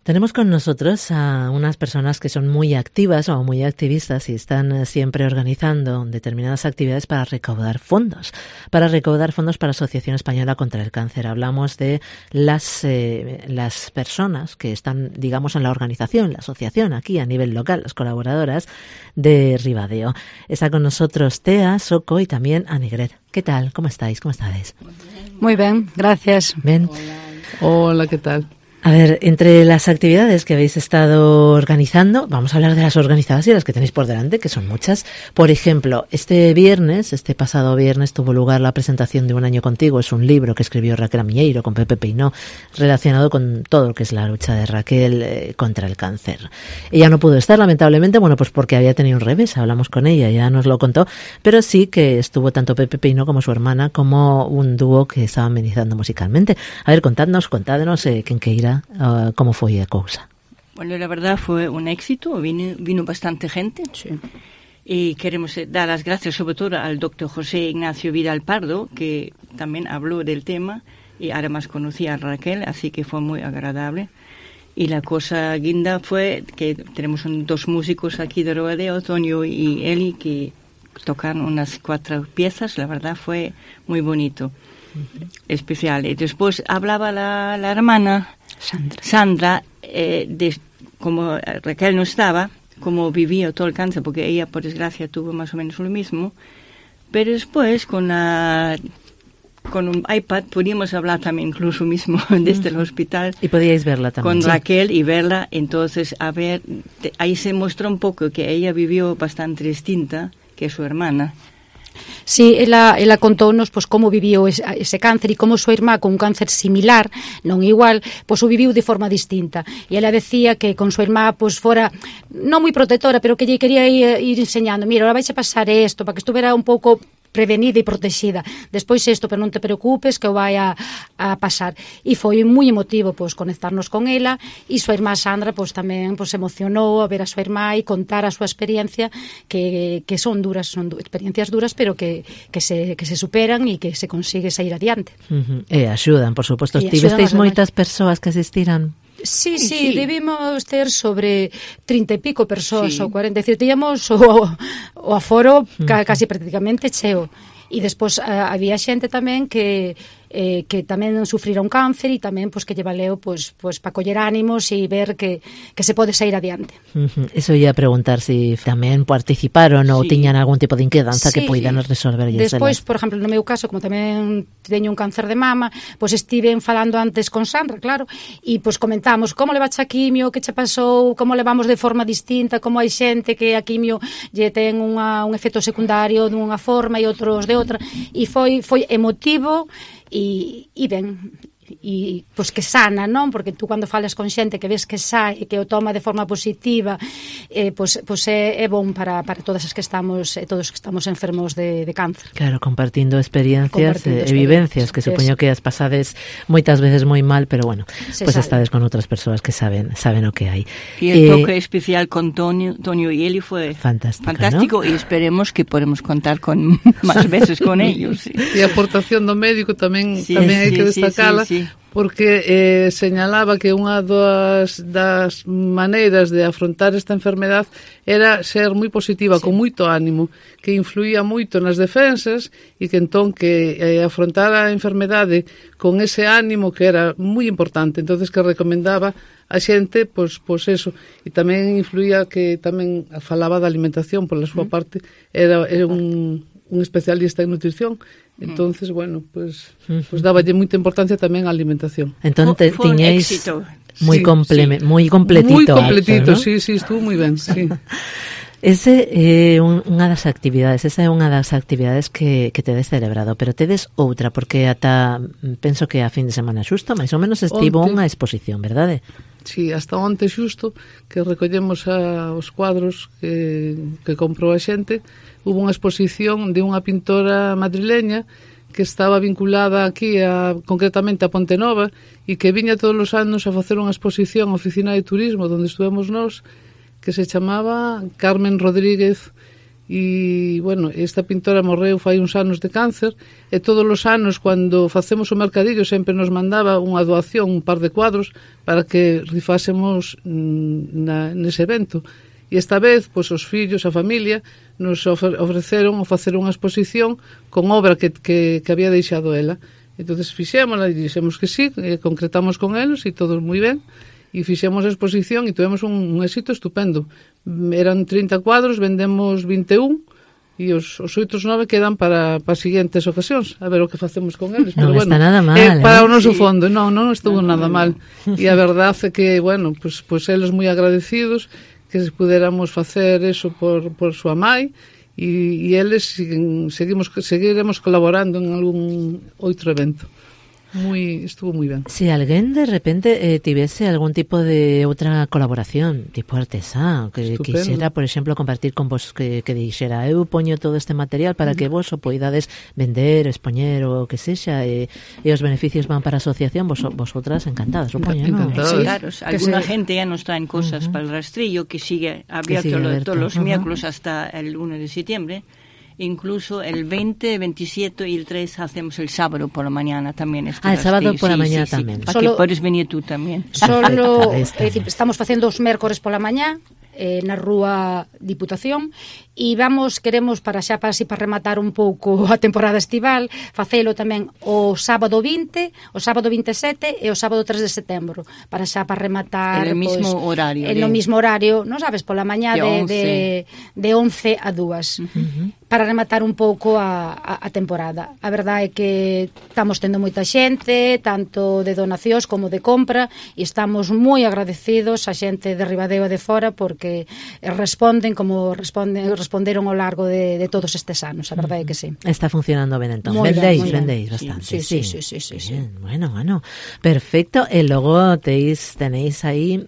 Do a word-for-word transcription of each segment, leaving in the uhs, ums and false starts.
Tenemos con nosotros a unas personas que son muy activas o muy activistas y están siempre organizando determinadas actividades para recaudar fondos, para recaudar fondos para la Asociación Española contra el Cáncer. Hablamos de las, eh, las personas que están, digamos, en la organización, la asociación aquí a nivel local, las colaboradoras de Ribadeo. Está con nosotros Tea, Soco y también Anigret. ¿Qué tal? ¿Cómo estáis? ¿Cómo estáis? Muy bien, gracias. Bien. Hola, Hola ¿qué tal? A ver, entre las actividades que habéis estado organizando, vamos a hablar de las organizadas y las que tenéis por delante, que son muchas. Por ejemplo, este viernes, este pasado viernes, tuvo lugar la presentación de Un año contigo. Es un libro que escribió Raquel Amiñeiro con Pepe Peinó, relacionado con todo lo que es la lucha de Raquel eh, contra el cáncer. Ella no pudo estar, lamentablemente, bueno, pues porque había tenido un revés, hablamos con ella, ya nos lo contó, pero sí que estuvo tanto Pepe Peinó como su hermana, como un dúo que estaba amenizando musicalmente. A ver, contadnos, contadnos, eh, ¿quién que irá? Uh, ¿Cómo fue la cosa? Bueno, la verdad fue un éxito, vino, vino bastante gente. Sí. Y queremos dar las gracias sobre todo al doctor José Ignacio Vidal Pardo, que también habló del tema y además conocía a Raquel, así que fue muy agradable. Y la cosa guinda fue que tenemos un, dos músicos aquí de Ribadeo, Antonio y Eli, que tocan unas cuatro piezas, la verdad fue muy bonito. Especial. Y después hablaba la, la hermana Sandra, Sandra eh, de como Raquel no estaba, como vivía todo el cáncer, porque ella por desgracia tuvo más o menos lo mismo, pero después con la con un iPad podíamos hablar también incluso mismo desde el hospital. Y podíais verla también. Con sí. Raquel y verla, entonces a ver, te, ahí se mostró un poco que ella vivió bastante distinta que su hermana. Sí, ela, ela contounos pois, como viviu ese, ese cáncer e como súa irmá con un cáncer similar, non igual, pois o viviu de forma distinta. E ela decía que con súa irmá pois fora non moi protectora, pero que lle quería ir, ir enseñando, mira, ahora vais a pasar isto, para que estuvera un pouco prevenida e protegida. Despois isto, pero non te preocupes que o vai a, a pasar. E foi moi emotivo pois conectarnos con ela e súa irmá Sandra pois tamén pois emocionou a ver a súa irmá e contar a súa experiencia que, que son duras, son du- experiencias duras, pero que, que, se, que se superan e que se consigue sair adiante. Uh-huh. E axudan, por suposto. E Tivesteis axudan moitas persoas que asistiran? Sí, sí, sí, debimos ter sobre trinta e pico persoas sí. ou cuarenta, é dicir, tíamos o, o aforo ca, casi prácticamente cheo. E despois uh, había xente tamén que eh, que tamén sufrira un cáncer e tamén pois que lle valeu pois pois para coller ánimos e ver que que se pode sair adiante. Uh-huh. Eso ia a preguntar si tamén participaron ou sí. tiñan algún tipo de inquedanza Sí. que poidan resolver. Despois, por exemplo, no meu caso, como tamén teño un cáncer de mama, pois estiven falando antes con Sandra, claro, e pois comentamos como levaste a quimio, que che pasou, como levamos de forma distinta, como hai xente que a quimio lle ten unha, un efecto secundario dunha forma e outros de outra, e foi foi emotivo e, e ben, e pois que sana, non? Porque tú cando falas con xente que ves que sae, que o toma de forma positiva, eh, pois, pois é, é bon para, para todas as que estamos, eh, todos que estamos enfermos de, de cáncer. Claro, compartindo experiencias e Compartindo vivencias que supoño que as pasades moitas veces moi mal, pero bueno, Se pues sabe. estades con outras persoas que saben saben o que hai. Y el Eh, toque especial con Tonio, Tonio y Eli fue Fantástico, fantástico, ¿no? y esperemos que podamos contar con más veces con ellos. Sí. E a aportación do médico tamén Sí, tamén hai sí, que sí, destacala, sí, sí. porque eh, señalaba que unha das, das maneiras de afrontar esta enfermedad era ser moi positiva, sí. con moito ánimo, que influía moito nas defensas e que entón que eh, afrontar a enfermedade con ese ánimo que era moi importante, entonces que recomendaba a xente, pois, pois eso, e tamén influía que tamén falaba da alimentación, pola súa mm. parte era, era un, un especialista en nutrición. Entonces, bueno, pues, pues daballe moita importancia tamén á alimentación. Entón te, Fue un tiñéis éxito. moi Sí, compleme, sí. moi completito. Moi completito, acto, ¿no? sí, sí, estuvo moi ben, sí. Ese é eh, un, unha das actividades, esa é unha das actividades que, que tedes celebrado, pero tedes outra, porque ata penso que a fin de semana xusto, máis ou menos estivo Onte. unha exposición, verdade? Sí, hasta onte xusto que recollemos a, os cuadros que, que comprou a xente, hubo unha exposición de unha pintora madrileña que estaba vinculada aquí a, concretamente a Ponte Nova e que viña todos os anos a facer unha exposición a Oficina de Turismo onde estuvemos nós, que se chamaba Carmen Rodríguez e, bueno, esta pintora morreu fai uns anos de cáncer, e todos os anos, cando facemos o mercadillo, sempre nos mandaba unha doación, un par de cuadros, para que rifásemos na, nese evento. E esta vez, pois, os fillos, a familia, nos ofreceron o facer unha exposición con obra que, que, que había deixado ela. Entonces fixémola e dixemos que sí, e concretamos con eles e todos moi ben, e fixemos a exposición e tuvemos un, un éxito estupendo. Eran trinta cuadros, vendemos vinte e un, e os, os outros nove quedan para, para as seguintes ocasións, a ver o que facemos con eles. Non pero está bueno, nada mal, eh, para eh? o noso Sí. fondo, non, non estuvo no, nada no, mal. E a verdade é que, bueno, pues, pues eles moi agradecidos que se puderamos facer eso por, por súa mai, e, e eles siguen, seguimos, seguiremos colaborando en algún outro evento. Muy, estuvo muy ben. Si alguén de repente eh, tivese algún tipo de outra colaboración, tipo artesán, que Estupendo. quixera, por exemplo, compartir con vos, que, que dixera, eu poño todo este material para que vos o poidades vender, expoñer o que sexa, e, e os beneficios van para a asociación, vos, vosotras encantadas, supoño, ¿no? Encantadas. Sí, Sí. claro, Que alguna se- gente ya nos traen cosas para el rastrillo que sigue abierto, sigue lo- abierto. todos los Ujú. miércoles hasta el uno de septiembre. Incluso el veinte, veintisiete y el tres hacemos el sábado por la mañana también. Este Ah, el sábado rastrillo. por la Sí, mañana sí, sí. tamén. Para Solo- que podes venir tú también. Solo, Ahí é está. dicir, estamos facendo os mércores pola mañá eh, na Rúa Diputación e vamos, queremos para xa para, así, para rematar un pouco a temporada estival, facelo tamén o sábado vinte, o sábado vinte e sete e o sábado tres de setembro, para xa para rematar En el mismo horario, en o de- mismo horario, non sabes, pola mañá De de, once. de, de once a dúas. Uh-huh. Para rematar un pouco a, a, a temporada. A verdade é que estamos tendo moita xente, tanto de donacións como de compra, e estamos moi agradecidos a xente de Ribadeo e de fora porque responden como responden, responderon ao largo de, de todos estes anos. A verdade é que sí. Está funcionando ben entón. Moi ben, Vendéis, moi ben. vendéis Sí, bastante. sí, sí, sí, sí, sí, sí. Bien, bueno, bueno. Perfecto. E logo teis, tenéis aí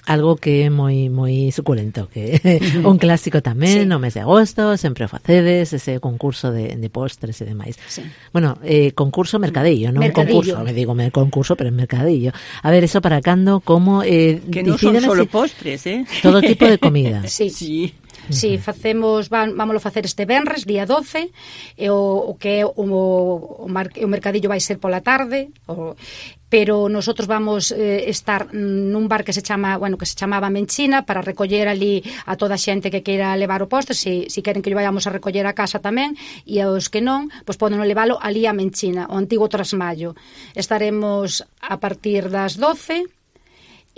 algo que é moi moi suculento, que un clásico tamén, Sí. no mes de agosto, sempre o facedes, ese concurso de, de postres e demais. Sí. Bueno, eh, concurso mercadillo, non Mercadillo. concurso, me digo me concurso, pero en mercadillo. A ver, eso para cando, como eh, Que no son decídeme solo si- postres, ¿eh? todo tipo de comida. Sí. Sí. Sí, facemos, van, vámoslo facer este venres, día doce, e o, o que é o, o, mar, o mercadillo vai ser pola tarde, o, pero nosotros vamos eh, estar nun bar que se chama, bueno, que se chamaba Menchina, para recoller ali a toda a xente que queira levar o postre, se si, si queren que lle vayamos a recoller a casa tamén, e aos que non, pois poden levalo ali a Menchina, o antigo Trasmallo. Estaremos a partir das doce,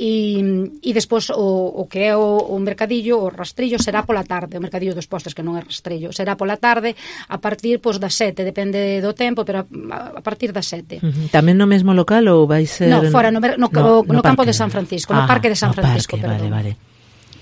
E, e despois o, o que é o, o mercadillo, o rastrillo será pola tarde, o mercadillo dos postres que non é rastrillo, será pola tarde a partir pois das sete, depende do tempo, pero a, a partir das sete. Ujú. Tamén no mesmo local ou vai ser... No, fora no, mer- no, no, no campo de San Francisco, no Ah, parque de San no Francisco, parque, perdón. vale, vale.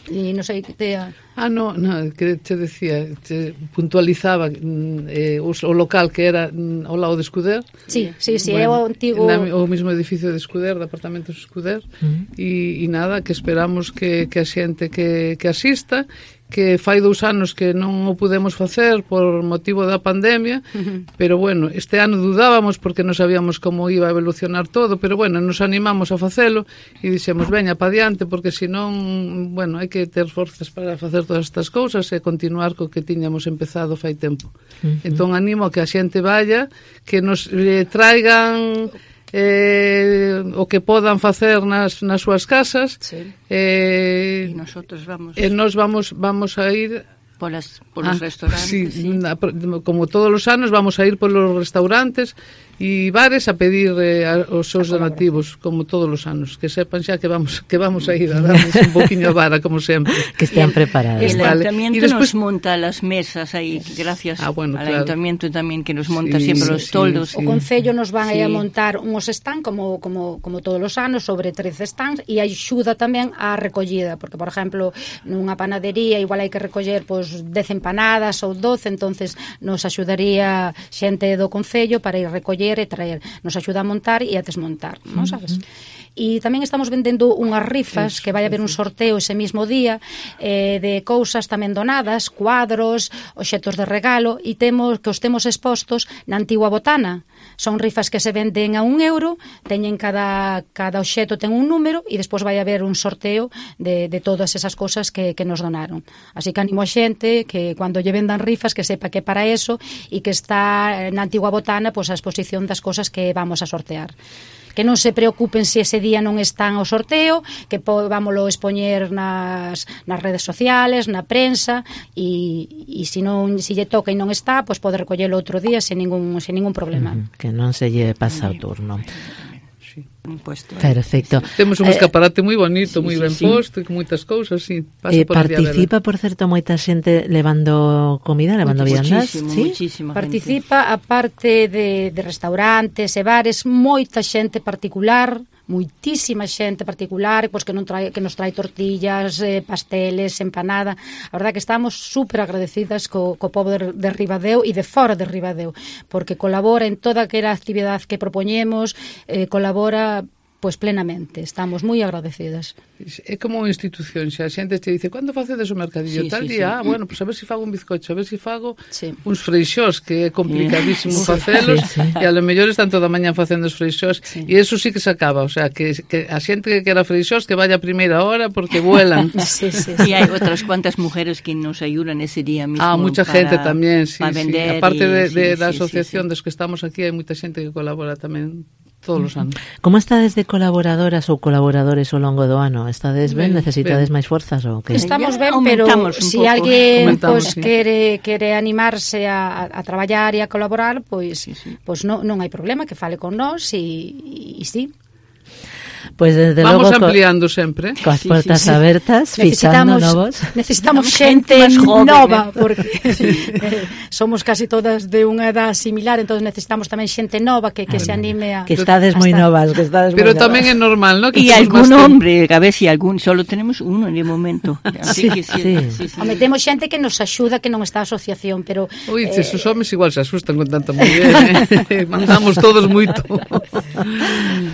E non sei que te... Ah, no, no, que te decía, te puntualizaba mm, eh, o, o local que era mm, ao lado de Escuder. Sí, sí, sí, é o antigo... Na, o mismo edificio de Escuder, de apartamentos Escuder, Uh-huh. e, e nada, que esperamos que, que a xente que, que asista, que fai dous anos que non o pudemos facer por motivo da pandemia, Uh-huh. pero bueno, este ano dudábamos porque non sabíamos como iba a evolucionar todo, pero bueno, nos animamos a facelo e dixemos, veña, pa diante, porque senón, bueno, hai que ter forzas para facer todas estas cousas e continuar co que tiñamos empezado fai tempo. Uh-huh. Entón animo a que a xente vaya, que nos eh, traigan eh, o que podan facer nas, nas súas casas, Sí. eh, Y nosotros vamos e nos vamos vamos a ir por, las, por los Ah, restaurantes. sí, sí. na- como todos os anos vamos a ir por los restaurantes e bares a pedir eh, a, os seus donativos, como todos os anos, que sepan xa que vamos que vamos a ir a darles un poquinho a vara, como sempre. Que estean preparados. El Vale. ayuntamiento Y después- nos monta las mesas ahí, gracias Ah, bueno, al claro. ayuntamiento también que nos monta Sí, siempre sí, los sí, toldos. sí. O Concello nos van Sí. a montar unhos stand como, como, como todos os anos, sobre trece stands, e axuda tamén á recollida, porque, por exemplo, nunha panadería igual hai que recoller pois, dez empanadas ou doce, entonces nos axudaría xente do Concello para ir recoller e traer. Nos axuda a montar e a desmontar, non sabes? E tamén estamos vendendo unhas rifas, que vai haber un sorteo ese mismo día, eh, de cousas tamén donadas, cuadros, obxetos de regalo, e temos que os temos expostos na antigua botana. Son rifas que se venden a un euro, teñen cada, cada obxeto ten un número, e despois vai haber un sorteo de, de todas esas cousas que, que nos donaron. Así que animo a xente que cando lle vendan rifas que sepa que para eso, e que está na antigua botana pois a exposición das cousas que vamos a sortear. Que non se preocupen se ese día non están ao sorteo, que vámoslo expoñer nas, nas redes sociales, na prensa, e, e se non se lle toca e non está, pois pode recollelo outro día sen ningún, sen ningún problema. Uh-huh. Que non se lle pasa o turno. Sí. Puesto, Perfecto. Sí. Temos un escaparate moi bonito, sí, moi sí, ben sí. posto, e con moitas cousas, sí. Eh, por participa, por certo, moita xente levando comida, levando viandas, ¿sí? Participa, gente. Aparte de, de restaurantes e bares, moita xente particular, moitísima xente particular, pois que non trae, que nos trae tortillas, eh, pasteles, empanada. A verdade que estamos super agradecidas co, co povo de, de Ribadeo e de fora de Ribadeo, porque colabora en toda aquela actividade que propoñemos, eh, colabora pois plenamente, estamos moi agradecidas. É como unha institución, xa a xente te dice, cando facedes o mercadillo? Sí, tal sí, día, sí. ah, bueno, pois pues a ver se si fago un bizcocho, a ver se si fago sí. uns freixós, que é complicadísimo sí. facelos, sí, sí. e a lo mellor están toda a mañá facendo os freixós, sí. e eso sí que se acaba, o sea, que, que a xente que quera freixós que vaya a primeira hora porque vuelan. sí, sí, sí. E hai outras cuantas mujeres que nos ayudan ese día mismo. Ah, mucha para, gente tamén, sí, sí. Aparte de, de, sí, da sí, asociación sí, sí. dos que estamos aquí, hai moita xente que colabora tamén todos os anos. Como estades de colaboradoras ou colaboradores ao longo do ano? Estades ben? ben Necesitades ben. máis forzas ou que? Estamos ben, pero se si alguén pues, sí. quere, quere animarse a, a traballar e a colaborar, pois pues, sí, sí. pues non, non hai problema, que fale con nós e, e sí. Pues desde Vamos logo ampliando co, sempre. Coas portas sí, sí, sí. abertas, fichando novos. Necesitamos xente nova, porque eh, somos casi todas de unha edad similar, entonces necesitamos tamén xente nova que, que ah, se anime a... Que estades moi novas, que estades Pero moi tamén novas. É normal, ¿no? Que e algún hombre, a ver si algún, solo tenemos uno de momento. Así sí, que sí, sí. sí, sí. O metemos xente que nos axuda, que non está a asociación, pero... Ui, eh, esos homes igual se asustan con tanta muller, eh? Mandamos todos moito.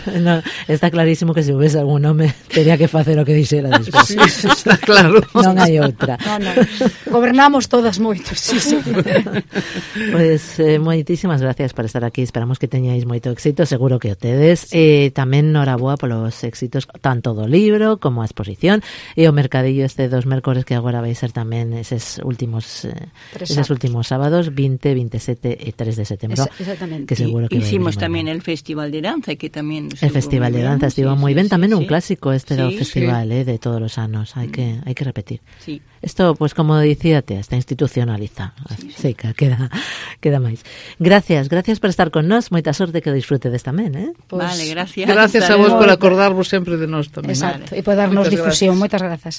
No, está clarísimo que se houvese algún home teria que facer o que dixera despois. Sí, está claro. Non hai outra. No, no. Gobernamos todas moito, sí, sí. Pois pues, eh, moitísimas gracias por estar aquí. Esperamos que teñáis moito éxito, seguro que o tedes. Sí. Eh, tamén noraboa polos éxitos tanto do libro como a exposición e o mercadillo este dos mércores que agora vai ser tamén eses últimos eh, eses últimos sábados vinte, veintisiete e tres de setembro. Es, exactamente. Que seguro que hicimos tamén el Festival de Danza que tamén el Festival de Danza estivo sí, moi ben, sí, tamén sí, un sí. clásico este sí, do festival sí. eh, de todos os anos, hai que hai que repetir. Sí. Isto, pues como dicíate, está institucionalizado. Sí, sí. Seca, queda queda máis. Gracias, gracias por estar con nós. Moita sorte que disfrutedes tamén, eh? Pues, vale, gracias. Gracias a vos por acordarvos sempre de nós tamén. Exacto, vale. E por darnos Moitas difusión. Gracias. Moitas grazas.